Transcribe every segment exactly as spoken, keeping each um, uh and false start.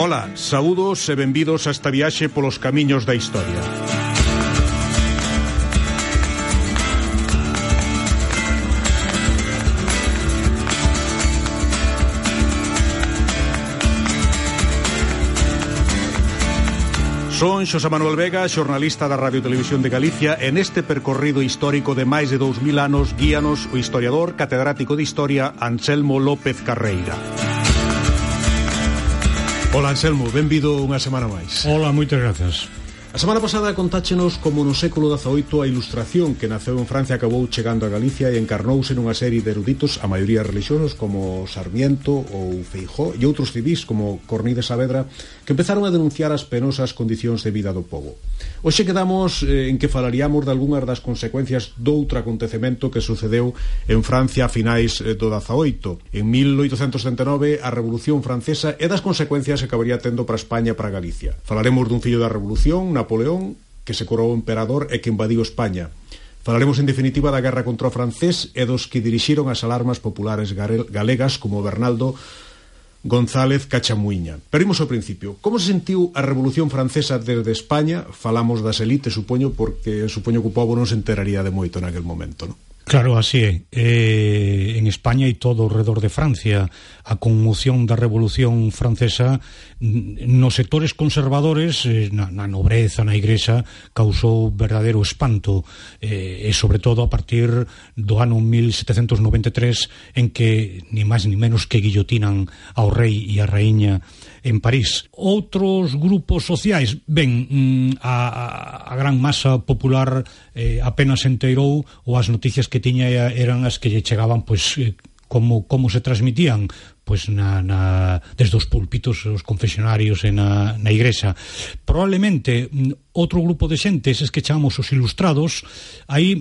Ola, saúdos e benvidos a esta viaxe polos camiños da historia. Son Xosé Manuel Vega, xornalista da Radio Televisión de Galicia, e neste percorrido histórico de máis de dous mil anos guíanos o historiador catedrático de Historia Anselmo López Carreira. Ola, Anselmo, benvido unha semana máis. Ola, moitas grazas. A semana pasada contáchenos como no século dezaoito a Ilustración, que naceu en Francia, acabou chegando a Galicia e encarnouse nunha serie de eruditos, a maioría relixiosos como Sarmiento ou Feijóo e outros civís como Cornide Saavedra, que empezaron a denunciar as penosas condicións de vida do pobo. Hoxe quedamos eh, en que falaríamos de algunhas das consecuencias doutro acontecemento que sucedeu en Francia a finais eh, do dezaoito. En mil oitocentos setenta e nove, a Revolución Francesa, e das consecuencias que acabaría tendo para España e para Galicia. Falaremos dun fillo da Revolución, Napoleón, que se coroou emperador e que invadiu España. Falaremos en definitiva da guerra contra o francés e dos que dirixiron as alarmas populares galegas como Bernaldo González Cachamuiña. Pero imos ao principio. Como se sentiu a Revolución Francesa desde España? Falamos das elites, supoño, porque supoño que o pobo non se enteraría de moito naquel momento, non? Claro, así é. Eh, en España e todo ao redor de Francia, a conmoción da Revolución Francesa nos sectores conservadores, eh, na, na nobreza, na Igrexa, causou verdadeiro espanto, eh, e sobre todo a partir do ano mil setecentos noventa e tres, en que ni máis ni menos que guillotinan ao rei e a raíña en París. Outros grupos sociais, ben, a, a gran masa popular eh, apenas se enteirou, ou as noticias que tiña eran as que lle chegaban, pois, eh, como, como se transmitían, pois na, na, desde os púlpitos, os confesionarios e na, na igrexa. Probablemente outro grupo de xente, eses que chamamos os ilustrados, aí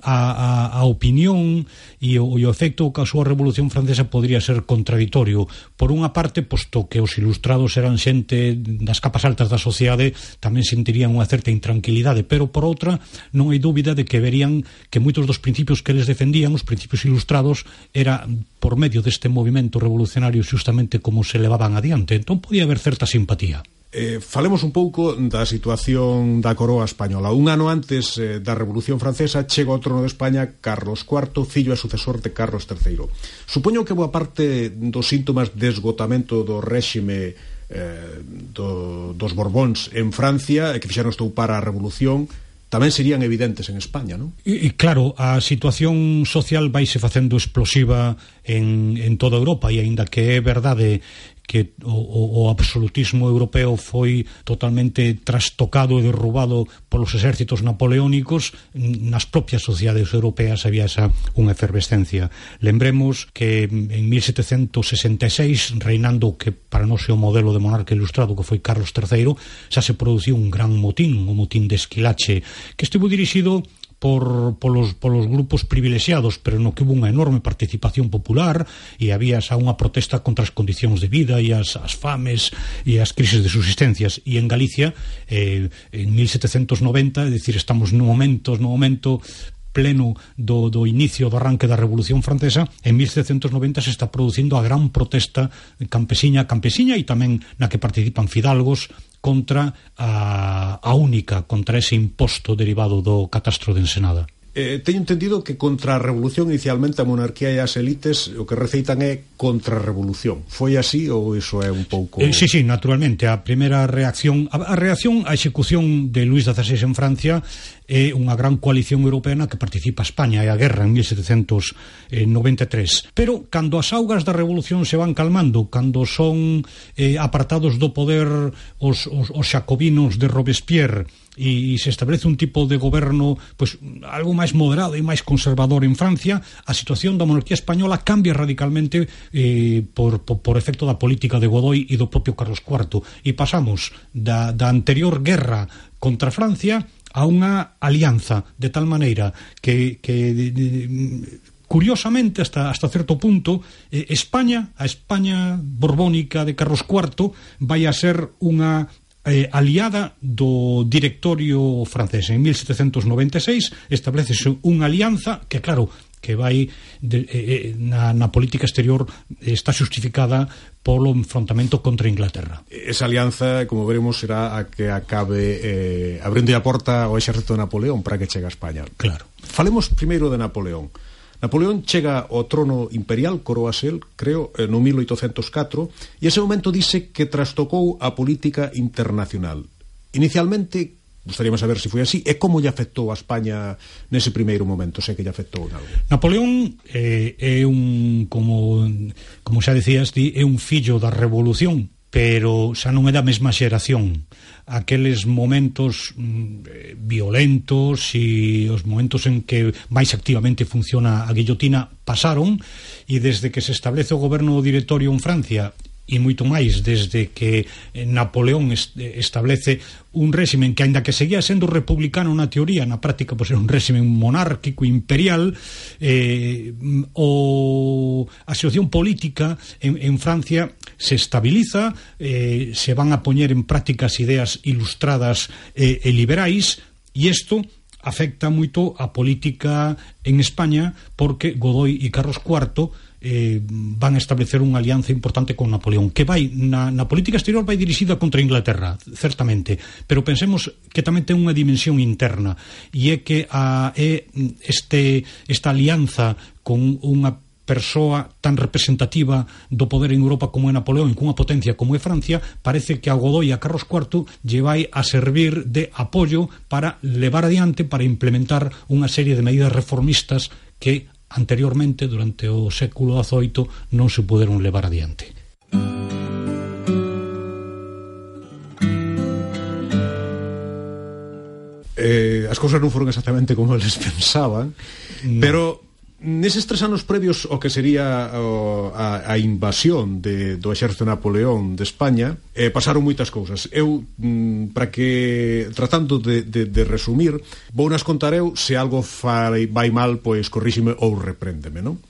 a, a, a opinión e o, e o efecto que causou a Revolución Francesa podría ser contradictorio. Por unha parte, posto que os ilustrados eran xente das capas altas da sociedade, tamén sentirían unha certa intranquilidade, pero por outra, non hai dúbida de que verían que moitos dos principios que eles defendían, os principios ilustrados, era por medio deste movimento revolucionario justamente como se levaban adiante. Entón podía haber certa simpatía. Eh, falemos un pouco da situación da coroa española. Un ano antes eh, da Revolución Francesa chega ao trono de España Carlos cuarto, fillo e sucesor de Carlos terceiro. Supoño que boa parte dos síntomas de esgotamento do réxime eh, do, dos Borbóns en Francia, e que fixeron estoupar a Revolución, tamén serían evidentes en España, non? E, e claro, a situación social vaise facendo explosiva en, en toda Europa, e aínda que é verdade que o, o, o absolutismo europeo foi totalmente trastocado e derrubado polos exércitos napoleónicos, nas propias sociedades europeas había esa unha efervescencia. Lembremos que en mil setecentos sesenta e seis, reinando que para nós é o modelo de monarca ilustrado que foi Carlos terceiro, xa se produciu un gran motín, o motín de Esquilache, que estivo dirixido por polos, polos grupos privilexiados, pero no que hubo unha enorme participación popular e había xa unha protesta contra as condicións de vida e as, as fames e as crisis de subsistencias. E en Galicia, eh, en mil setecentos noventa, é dicir, estamos no momento, no momento pleno do, do inicio do arranque da Revolución Francesa, en mil setecentos noventa se está producindo a gran protesta campesiña campesiña e tamén na que participan fidalgos contra a, a única, contra ese imposto derivado do catastro de Ensenada. Eh, teño entendido que contra a revolución inicialmente a monarquía e as elites o que receitan é contra a revolución. Foi así ou iso é un pouco... Eh, sí, sí, naturalmente. A primeira reacción, a, a reacción á execución de Luís dieciséis en Francia é unha gran coalición europea na que participa España e a guerra en mil setecentos noventa e tres. Pero cando as augas da revolución se van calmando, cando son eh, apartados do poder os, os, os xacobinos de Robespierre e se establece un tipo de goberno pois algo máis moderado e máis conservador en Francia, a situación da monarquía española cambia radicalmente eh, por, por, por efecto da política de Godoy e do propio Carlos cuarto, e pasamos da, da anterior guerra contra Francia a unha alianza, de tal maneira que, que de, de, curiosamente hasta, hasta certo punto eh, España, a España borbónica de Carlos cuarto vai a ser unha Eh, aliada do directorio francés. En mil setecentos noventa e seis establecese unha alianza que, claro, que vai de, eh, na, na política exterior está justificada polo enfrontamento contra Inglaterra. Esa alianza, como veremos, será a que acabe eh, abrindo a porta ao exército de Napoleón para que chegue a España. Claro. Falemos primeiro de Napoleón. Napoleón chega ao trono imperial, coroase el, creo, no mil oitocentos catro, e ese momento dice que trastocou a política internacional. Inicialmente, gustaríamos saber se foi así, e como lle afectou a España nese primeiro momento, sei que lle afectou en algo. Napoleón eh, é un, como, como xa decías ti, é un fillo da revolución, pero xa non é da mesma xeración. Aqueles momentos mm, violentos e os momentos en que máis activamente funciona a guillotina pasaron, e desde que se establece o goberno directorio en Francia e moito máis desde que Napoleón establece un réximen que, aínda que seguía sendo republicano na teoría, na práctica pois era un réximen monárquico imperial, eh, o, a situación política en, en Francia se estabiliza, eh, se van a poñer en práctica as ideas ilustradas eh, e liberais, e isto afecta moito a política en España, porque Godoy e Carlos cuarto eh, van a establecer unha alianza importante con Napoleón, que vai na, na política exterior vai dirixida contra Inglaterra, certamente, pero pensemos que tamén ten unha dimensión interna, e é que a, é este, esta alianza con unha persoa tan representativa do poder en Europa como é Napoleón e cunha potencia como é Francia, parece que a Godoy e a Carlos cuarto lle vai a servir de apoio para levar adiante, para implementar unha serie de medidas reformistas que anteriormente, durante o século dezoito, non se puderon levar adiante. Eh, as cousas non foron exactamente como eles pensaban, no. Pero neses tres anos previos ao que sería o, a, a invasión de, do exército de Napoleón de España, eh, pasaron moitas cousas. Eu, mm, para que, tratando de, de, de resumir, vou nas contar eu, se algo fai, vai mal, pois corríxime ou repréndeme, non?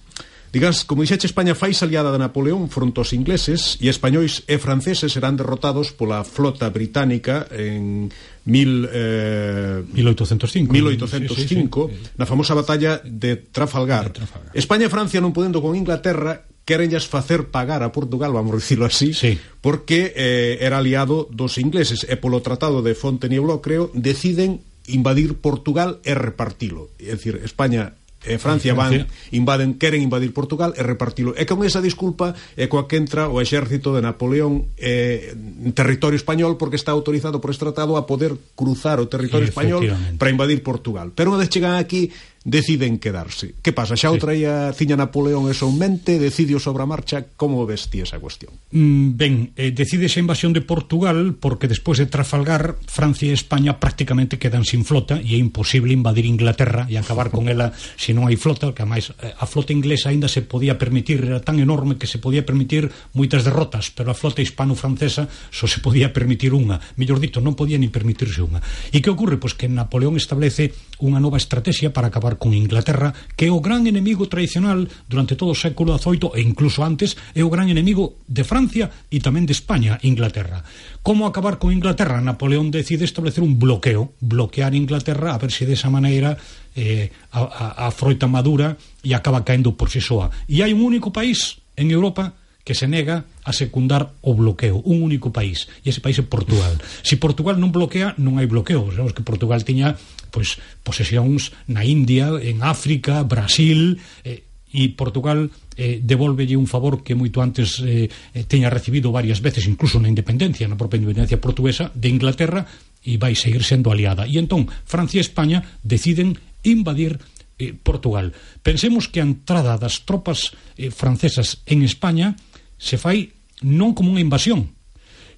Digas, como dixeche, España fai aliada de Napoleón fronte aos ingleses, e españois e franceses serán derrotados pola flota británica en mil, eh, mil oitocentos cinco, mil oitocentos cinco sí, sí, sí. Na famosa batalla de Trafalgar. de Trafalgar. España e Francia, non podendo con Inglaterra, querenllas facer pagar a Portugal, vamos a dicirlo así, sí. porque eh, era aliado dos ingleses, e polo tratado de Fontainebleau, creo, deciden invadir Portugal e repartilo. É dicir, España e Francia van, invaden, queren invadir Portugal e repartilo. E con esa disculpa é coa que entra o exército de Napoleón eh, en territorio español, porque está autorizado por este tratado a poder cruzar o territorio español para invadir Portugal. Pero unha vez chegan aquí, deciden quedarse. Que pasa? Xa outra sí. ia ciña Napoleón eso en mente, decidiu sobre a marcha. Como ves ti esa cuestión? Mm, ben, eh, decide esa invasión de Portugal porque despois de Trafalgar, Francia e España prácticamente quedan sin flota, e é imposible invadir Inglaterra e acabar con ela se non hai flota, que ademais a flota inglesa aínda se podía permitir, era tan enorme que se podía permitir moitas derrotas, pero a flota hispano-francesa só se podía permitir unha, mellor dito, non podía ni permitirse unha. E que ocorre? Pois que Napoleón establece unha nova estrategia para acabar con Inglaterra, que é o gran enemigo tradicional durante todo o século dezoito e incluso antes, é o gran enemigo de Francia e tamén de España, Inglaterra. Como acabar con Inglaterra? Napoleón decide establecer un bloqueo, bloquear Inglaterra, a ver se desa maneira eh, a, a, a froita madura e acaba caendo por si soa. E hai un único país en Europa que se nega a secundar o bloqueo, un único país, e ese país é Portugal. Se Portugal non bloquea, non hai bloqueo. Sabemos que Portugal tiña pois posesións na India, en África, Brasil, eh, e Portugal eh, devolvelle un favor que moito antes eh, teña recibido varias veces, incluso na independencia, na propia independencia portuguesa de Inglaterra, e vai seguir sendo aliada. E entón, Francia e España deciden invadir eh, Portugal. Pensemos que a entrada das tropas eh, francesas en España se fai non como unha invasión,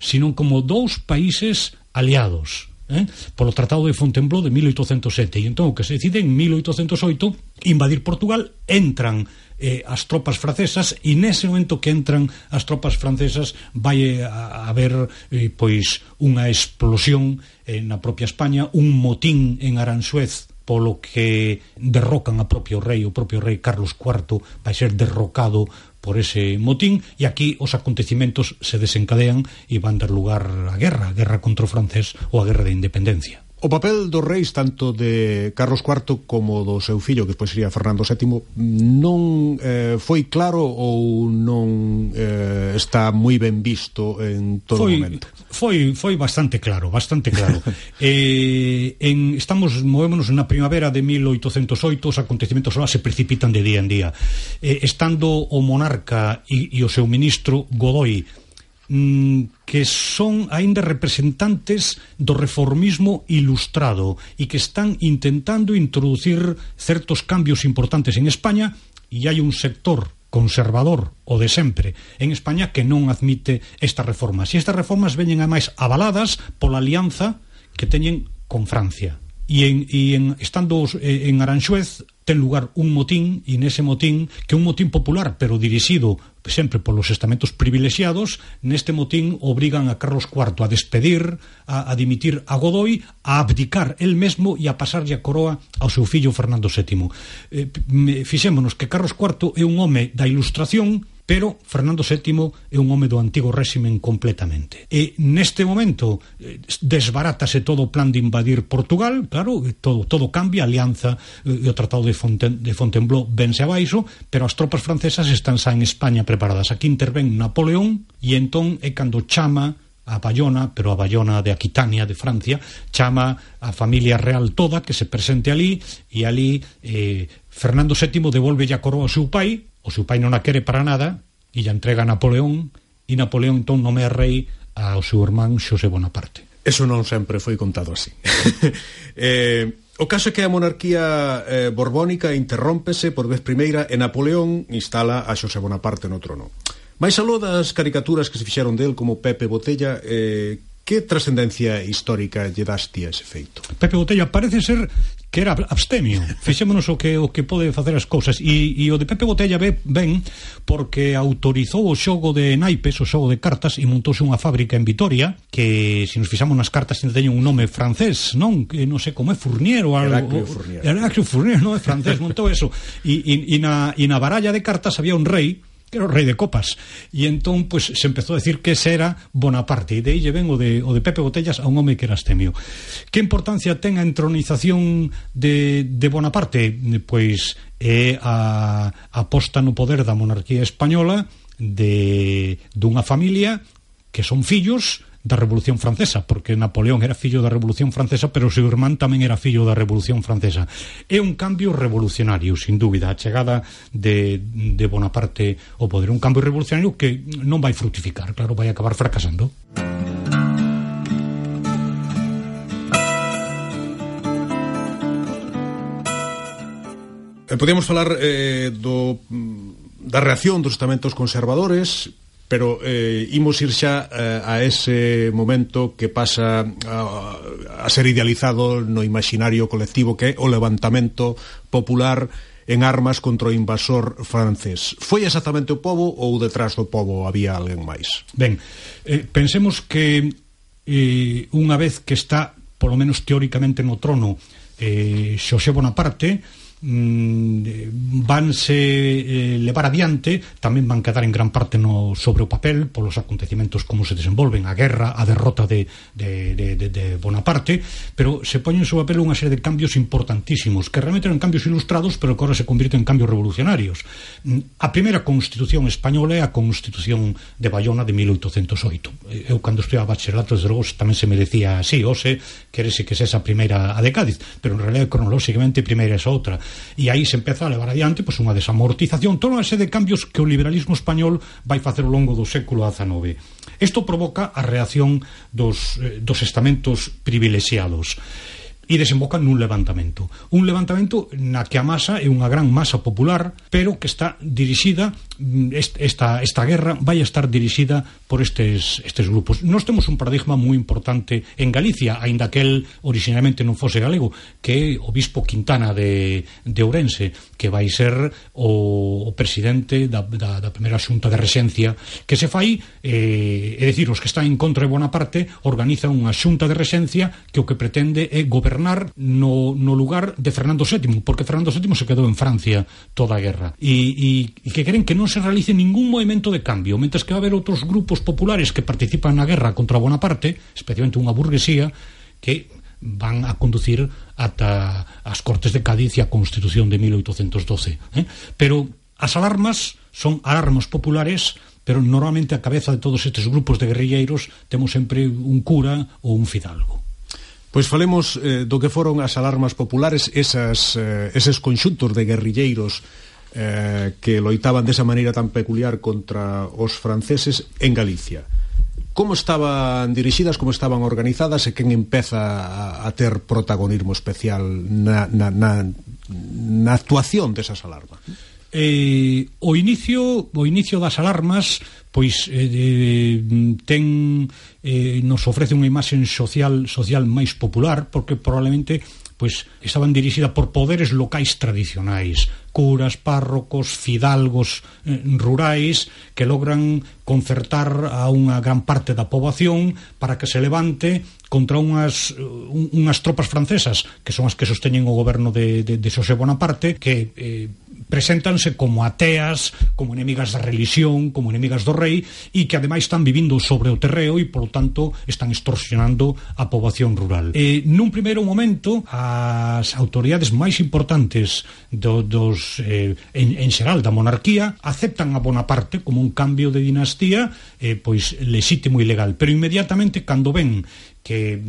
sino como dous países aliados, eh? polo Tratado de Fontainebleau de mil oitocentos sete. E entón o que se decide en mil oitocentos oito invadir Portugal, entran eh, as tropas francesas, e nese momento que entran as tropas francesas vai a, a haber eh, pois unha explosión eh, na propia España, un motín en Aranjuez, polo que derrocan a propio rei, o propio rei Carlos cuarto vai ser derrocado por ese motín, e aquí os acontecimentos se desencadean e van dar lugar á guerra, a guerra contra o francés ou a guerra de independencia. O papel dos reis, tanto de Carlos cuarto como do seu fillo, que despois sería Fernando sétimo, non eh, foi claro ou non eh, está moi ben visto en todo foi, momento? Foi, foi bastante claro, bastante claro. eh, en, estamos, movémonos na primavera de mil oitocentos oito, os acontecimentos lá se precipitan de día en día. Eh, estando o monarca e, e o seu ministro Godoy, que son aínda representantes do reformismo ilustrado e que están intentando introducir certos cambios importantes en España, e hai un sector conservador, o de sempre, en España, que non admite estas reformas. E estas reformas veñen ademais avaladas pola alianza que teñen con Francia. E, en, e en, estando en Aranxuez ten lugar un motín, e nese motín, que é un motín popular, pero dirixido sempre polos estamentos privilexiados, neste motín obrigan a Carlos cuarto a despedir, a, a dimitir a Godoy, a abdicar el mesmo e a pasarlle a coroa ao seu fillo Fernando sétimo. Eh, fixémonos que Carlos cuarto é un home da Ilustración, pero Fernando sétimo é un home do antigo réximen completamente. E neste momento desbarátase todo o plan de invadir Portugal, claro, todo, todo cambia, a alianza e o tratado de, Fonten, de Fontainebleau vense abaixo, pero as tropas francesas están xa en España preparadas. Aquí intervén Napoleón e entón é cando chama a Bayona, pero a Bayona de Aquitania, de Francia, chama a familia real toda que se presente ali, e ali eh, Fernando sétimo devolve a coroa ao seu pai. O seu pai non a quere para nada e lla entrega a Napoleón, e Napoleón entón nomea rei ao seu irmán Xosé Bonaparte. Eso non sempre foi contado así. eh, o caso é que a monarquía eh, borbónica interrómpese por vez primeira e Napoleón instala a Xosé Bonaparte no trono. Mais aló das caricaturas que se fixeron del como Pepe Botella, eh, que trascendencia histórica lle daste a ese feito? Pepe Botella parece ser que era abstemio. Fixémonos o que o que pode facer as cousas, e, e o de Pepe Botella ve, ben porque autorizou o xogo de naipes, o xogo de cartas, e montouse unha fábrica en Vitoria que, se nos fixamos nas cartas, teñen un nome francés, non? Que non sei como é, Fournier ou algo. Heraclio Fournier. Heraclio Fournier, non é francés, montou eso. E, e, e, na, e na baralla de cartas había un rei que era o rei de copas, e entón pues, se empezou a decir que ese era Bonaparte, e de aí lle ven o de, o de Pepe Botellas a un home que era abstemio. Que importancia ten a entronización de, de Bonaparte? Pois é a, a posta no poder da monarquía española de dunha familia que son fillos da Revolución Francesa, porque Napoleón era fillo da Revolución Francesa, pero o seu irmán tamén era fillo da Revolución Francesa. É un cambio revolucionario, sin dúbida, a chegada de, de Bonaparte ao poder, un cambio revolucionario que non vai fructificar, claro, vai acabar fracasando. Podíamos falar eh, do, da reacción dos estamentos conservadores, pero eh, imos ir xa eh, a ese momento que pasa a, a ser idealizado no imaginario colectivo, que é o levantamento popular en armas contra o invasor francés. Foi exactamente o pobo ou detrás do pobo había alguén máis? Ben, eh, pensemos que eh, unha vez que está, polo menos teóricamente, no trono eh, Xosé Bonaparte, vanse eh, levar adiante, tamén van quedar en gran parte no, sobre o papel polos acontecimentos como se desenvolven, a guerra, a derrota de, de, de, de, de Bonaparte, pero se poñen sobre o papel unha serie de cambios importantísimos que realmente eran cambios ilustrados, pero que agora se convirten en cambios revolucionarios. A primeira constitución española é a Constitución de Bayona de mil oitocentos oito. Eu cando estudiaba bacharelato, desde logo, tamén se me decía así, ose, querese que esa primeira a de Cádiz, pero en realidad cronolóxicamente primeira é esa outra. E aí se empeza a levar adiante pois, unha desamortización, toda unha serie de cambios que o liberalismo español vai facer ao longo do século dezanove. Isto provoca a reacción dos, eh, dos estamentos privilexiados e desemboca nun levantamento. Un levantamento na que a masa é unha gran masa popular, pero que está dirixida, esta, esta guerra vai a estar dirixida por estes, estes grupos. Nós temos un paradigma moi importante en Galicia, aínda que el originalmente non fose galego, que é o bispo Quintana de, de Ourense, que vai ser o, o presidente da, da, da primeira xunta de rexencia que se fai, eh, é dicir, os que están en contra de Bonaparte organizan unha xunta de rexencia que o que pretende é gobernar no, no lugar de Fernando sétimo, porque Fernando sétimo se quedou en Francia toda a guerra, e, e, e que queren que non se realice ningún movimento de cambio, mentres que va a haber outros grupos populares que participan na guerra contra Bonaparte, especialmente unha burguesía que van a conducir ata as Cortes de Cádiz e a Constitución de mil oitocentos doce, eh? Pero as alarmas son alarmas populares, pero normalmente a cabeza de todos estes grupos de guerrilleiros temos sempre un cura ou un fidalgo. Pois falemos eh, do que foron as alarmas populares, esas, eh, eses conxuntos de guerrilleiros eh, que loitaban desa maneira tan peculiar contra os franceses en Galicia. Como estaban dirixidas, como estaban organizadas e quen empeza a, a ter protagonismo especial na, na, na, na actuación desas alarmas? Eh, o inicio o inicio das alarmas pois eh, eh, ten eh, nos ofrece unha imaxe social social máis popular, porque probablemente pois estaban dirixidas por poderes locais tradicionais, curas, párrocos, fidalgos eh, rurais que logran concertar a unha gran parte da poboación para que se levante contra unhas, un, unhas tropas francesas que son as que sosteñen o goberno de, de, de Xosé Bonaparte, que eh, preséntanse como ateas, como enemigas da religión, como enemigas do rei, e que ademais están vivindo sobre o terreo e, polo tanto, están extorsionando a poboación rural. E, nun primeiro momento, as autoridades máis importantes do, dos eh, en, en xeral da monarquía aceptan a Bonaparte como un cambio de dinastía eh, pois lexítimo e legal, pero inmediatamente cando ven que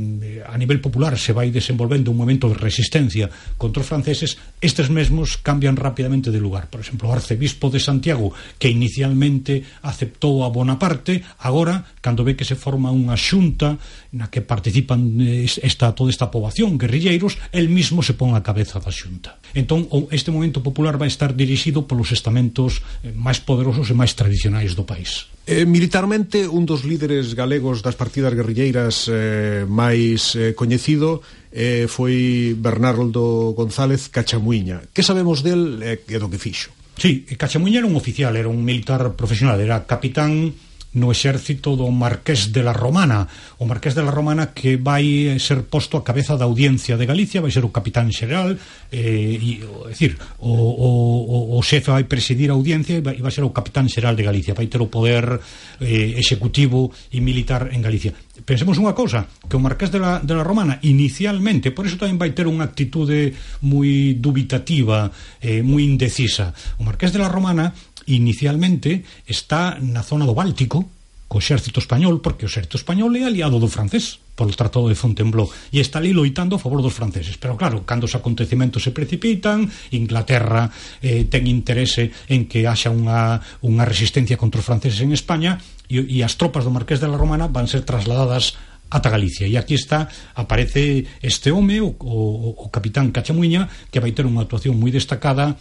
a nivel popular se vai desenvolvendo un momento de resistencia contra os franceses, estes mesmos cambian rapidamente de lugar. Por exemplo, o arcebispo de Santiago, que inicialmente aceptou a Bonaparte, agora, cando ve que se forma unha xunta na que participan esta, toda esta poboación, guerrilleiros, el mismo se pon a cabeza da xunta. Entón, este momento popular vai estar dirixido polos estamentos máis poderosos e máis tradicionais do país. Eh, militarmente, un dos líderes galegos das partidas guerrilleiras eh, máis eh, coñecido eh, foi Bernardo González Cachamuiña. Que sabemos del e eh, do que fixo? Sí, Cachamuiña era un oficial, era un militar profesional, era capitán no exército do Marqués de la Romana, o Marqués de la Romana que vai ser posto a cabeza da Audiencia de Galicia, vai ser o capitán xeral, eh, e, é dicir, o, o, o xefe vai presidir a Audiencia e vai, vai ser o capitán xeral de Galicia, vai ter o poder eh, executivo e militar en Galicia. Pensemos unha cousa, que o Marqués de la, de la Romana inicialmente, por iso tamén vai ter unha actitude moi dubitativa, eh, moi indecisa. O Marqués de la Romana inicialmente está na zona do Báltico co exército español, porque o exército español é aliado do francés polo Tratado de Fontainebleau e está ali loitando a favor dos franceses, pero claro, cando os acontecementos se precipitan, Inglaterra eh, ten interese en que haxa unha, unha resistencia contra os franceses en España e, e as tropas do Marqués de la Romana van ser trasladadas ata Galicia, e aquí está, aparece este home, o, o, o capitán Cachamuiña, que vai ter unha actuación moi destacada,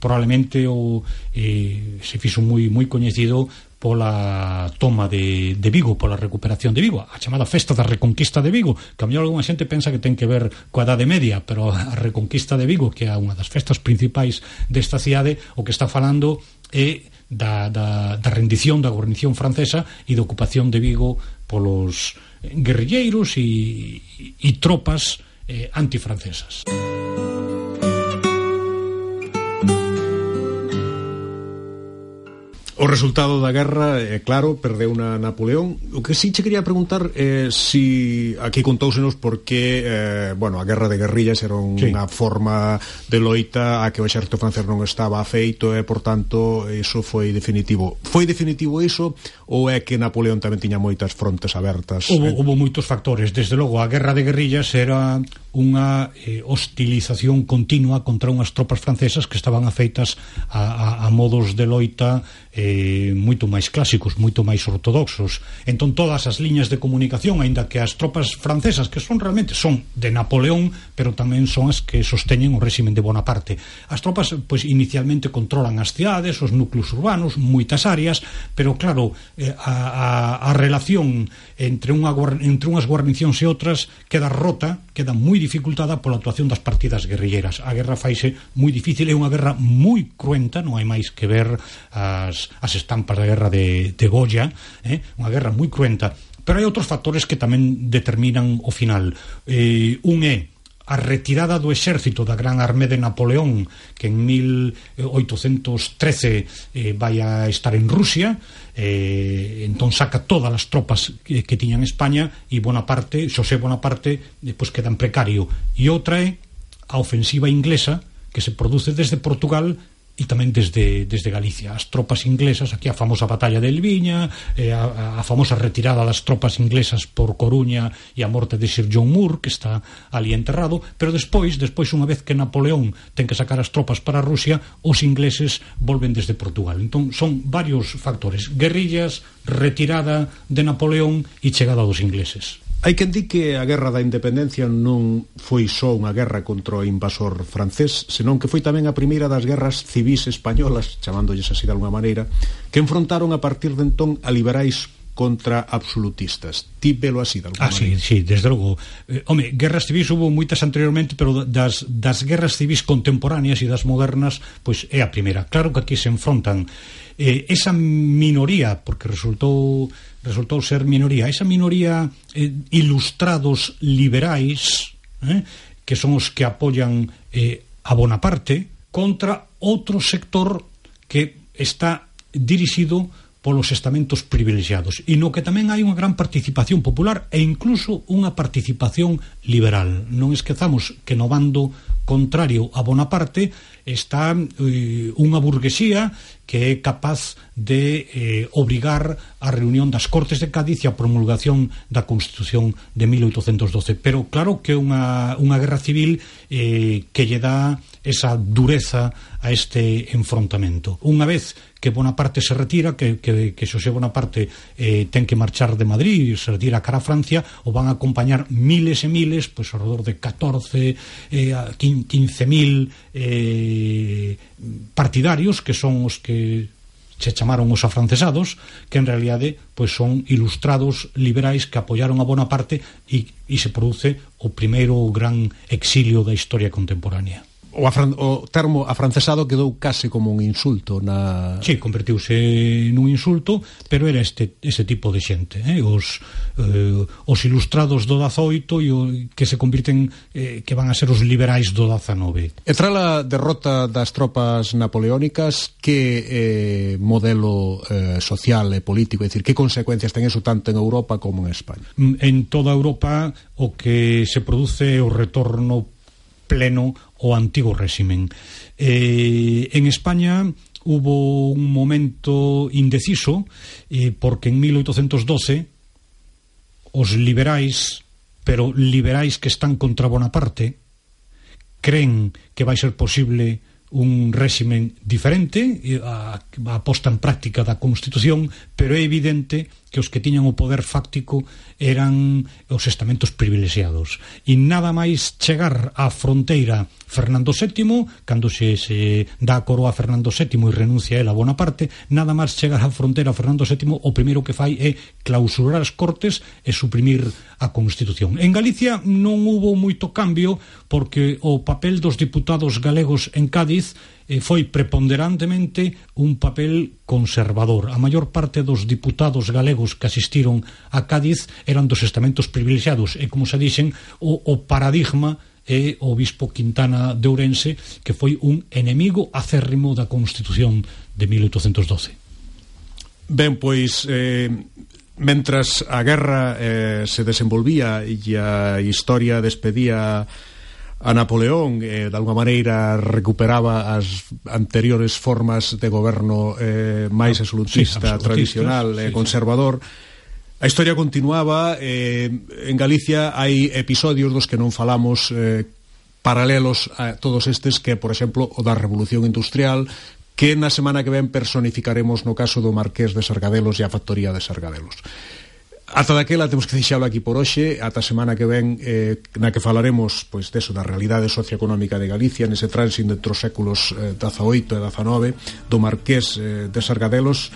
probablemente o eh, se fixo moi moi coñecido pola toma de, de Vigo, pola recuperación de Vigo, a chamada Festa da Reconquista de Vigo, que a mellor alguna xente pensa que ten que ver coa Idade Media, pero a Reconquista de Vigo, que é unha das festas principais desta cidade, o que está falando é da, da, da rendición da guarnición francesa e da ocupación de Vigo polos guerrilleiros e, e tropas eh, antifrancesas. O resultado da guerra, é claro, perdeu na Napoleón. O que sí che quería preguntar é eh, si aquí contóusenos porque eh, bueno, a guerra de guerrillas era unha sí. forma de loita a que o exército francés non estaba afeito e, por tanto, iso foi definitivo. Foi definitivo iso ou é que Napoleón tamén tiña moitas frontes abertas? Hubo, eh? hubo moitos factores. Desde logo, a guerra de guerrillas era unha eh, hostilización continua contra unhas tropas francesas que estaban afeitas a, a, a modos de loita eh, moito máis clásicos, moito máis ortodoxos. Entón todas as liñas de comunicación, aínda que as tropas francesas, que son realmente son de Napoleón, pero tamén son as que sosteñen o réximen de Bonaparte. As tropas, pois, inicialmente controlan as cidades, os núcleos urbanos, moitas áreas, pero claro, eh, a, a, a relación entre, unha, entre unhas guarnicións e outras queda rota, queda moi dificultada pola actuación das partidas guerrilleras. A guerra faise moi difícil, é unha guerra moi cruenta, non hai máis que ver as, as estampas da guerra de, de Goya, eh? Unha guerra moi cruenta, pero hai outros factores que tamén determinan o final. Eh, un é a retirada do exército da Gran Armée de Napoleón, que en mil oitocentos trece eh, vai a estar en Rusia, eh, entón saca todas as tropas que, que tiñan España, e Bonaparte, Xosé Bonaparte, despois queda en precario. E outra é a ofensiva inglesa, que se produce desde Portugal e tamén desde, desde Galicia. As tropas inglesas, aquí a famosa batalla de Elviña, eh, a, a famosa retirada das tropas inglesas por Coruña e a morte de Sir John Moore, que está ali enterrado, pero despois, despois unha vez que Napoleón ten que sacar as tropas para Rusia, os ingleses volven desde Portugal. Entón son varios factores: guerrillas, retirada de Napoleón e chegada dos ingleses. Hai quen di que a Guerra da Independencia non foi só unha guerra contra o invasor francés, senón que foi tamén a primeira das guerras civís españolas, chamándolles así de alguma maneira, que enfrontaron a partir de entón a liberais contra absolutistas. Ti velo así de alguma ah, maneira? Ah, sí, sí, desde logo. Eh, home, guerras civis hubo moitas anteriormente, pero das, das guerras civis contemporáneas e das modernas, pois é a primeira. Claro que aquí se enfrontan eh, esa minoría, porque resultou resultou ser minoría, esa minoría eh, ilustrados liberais, eh, que son os que apoian eh, a Bonaparte, contra outro sector que está dirixido polos estamentos privilexiados, e no que tamén hai unha gran participación popular e incluso unha participación liberal. Non esquezamos que no bando contrario a Bonaparte está eh, unha burguesía que é capaz de eh, obrigar a reunión das Cortes de Cádiz e a promulgación da Constitución de mil oitocentos doce. Pero claro que é unha, unha guerra civil eh, que lle dá esa dureza a este enfrontamento. Unha vez que Bonaparte se retira, que, que, que Xosé Bonaparte eh, ten que marchar de Madrid e se retira cara a Francia, o van a acompañar miles e miles, pois alrededor de catorce, eh, quince mil eh, partidarios, que son os que se chamaron os afrancesados, que en realidade pois son ilustrados liberais que apoiaron a Bonaparte, e, e se produce o primeiro gran exilio da historia contemporánea. O, afran, o termo afrancesado quedou case como un insulto na... Sí, convertiuse nun insulto, pero era este, este tipo de xente, eh? os, eh, os ilustrados do dezaoito e o, que se convirten, eh, que van a ser os liberais do dezanove. E tras a derrota das tropas napoleónicas, que eh, modelo eh, social e político, é dicir, que consecuencias ten eso tanto en Europa como en España? En toda Europa o que se produce é o retorno pleno ao antigo réximen. Eh, en España hubo un momento indeciso, eh, porque en mil oitocentos doce os liberais, pero liberais que están contra Bonaparte, creen que vai ser posible un réximen diferente, a, a posta en práctica da Constitución, pero é evidente que os que tiñan o poder fáctico eran os estamentos privilexiados, e nada máis chegar á fronteira Fernando sétimo, cando se, se dá a coroa a Fernando sétimo e renuncia el a Bonaparte, nada máis chegar á fronteira Fernando sétimo, o primeiro que fai é clausurar as Cortes e suprimir a Constitución. En Galicia non hubo moito cambio, porque o papel dos diputados galegos en Cádiz eh, foi preponderantemente un papel conservador. A maior parte dos diputados galegos que asistiron a Cádiz eran dos estamentos privilexiados, e, como se dixen, o, o paradigma é o bispo Quintana de Ourense, que foi un enemigo acérrimo da Constitución de mil oitocentos doce. Ben, pois eh, mentras a guerra eh, se desenvolvía e a historia despedía a Napoleón, eh, de alguma maneira recuperaba as anteriores formas de goberno eh, máis absolutista, sí, tradicional e eh, sí, conservador, a historia continuaba. eh, en Galicia hai episodios dos que non falamos, eh, paralelos a todos estes, que, por exemplo, o da Revolución Industrial, que na semana que ven personificaremos no caso do Marqués de Sargadelos e a factoría de Sargadelos. Ata daquela temos que deixalo aquí por hoxe. Ata a semana que ven, eh, na que falaremos pois deso, da realidade socioeconómica de Galicia nese tránsito entre os séculos eh, dezaoito e dezanove, do Marqués eh, de Sargadelos,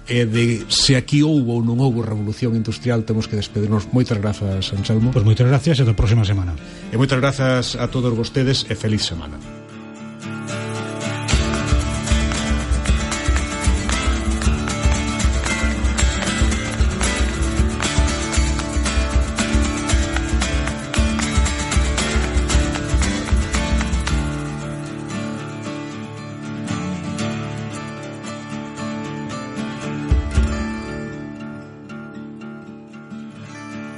e de se aquí houbo ou non houbo revolución industrial. Temos que despedirnos. Moitas grazas, Anselmo. Pois moitas gracias e ata a próxima semana. E moitas grazas a todos vostedes e feliz semana.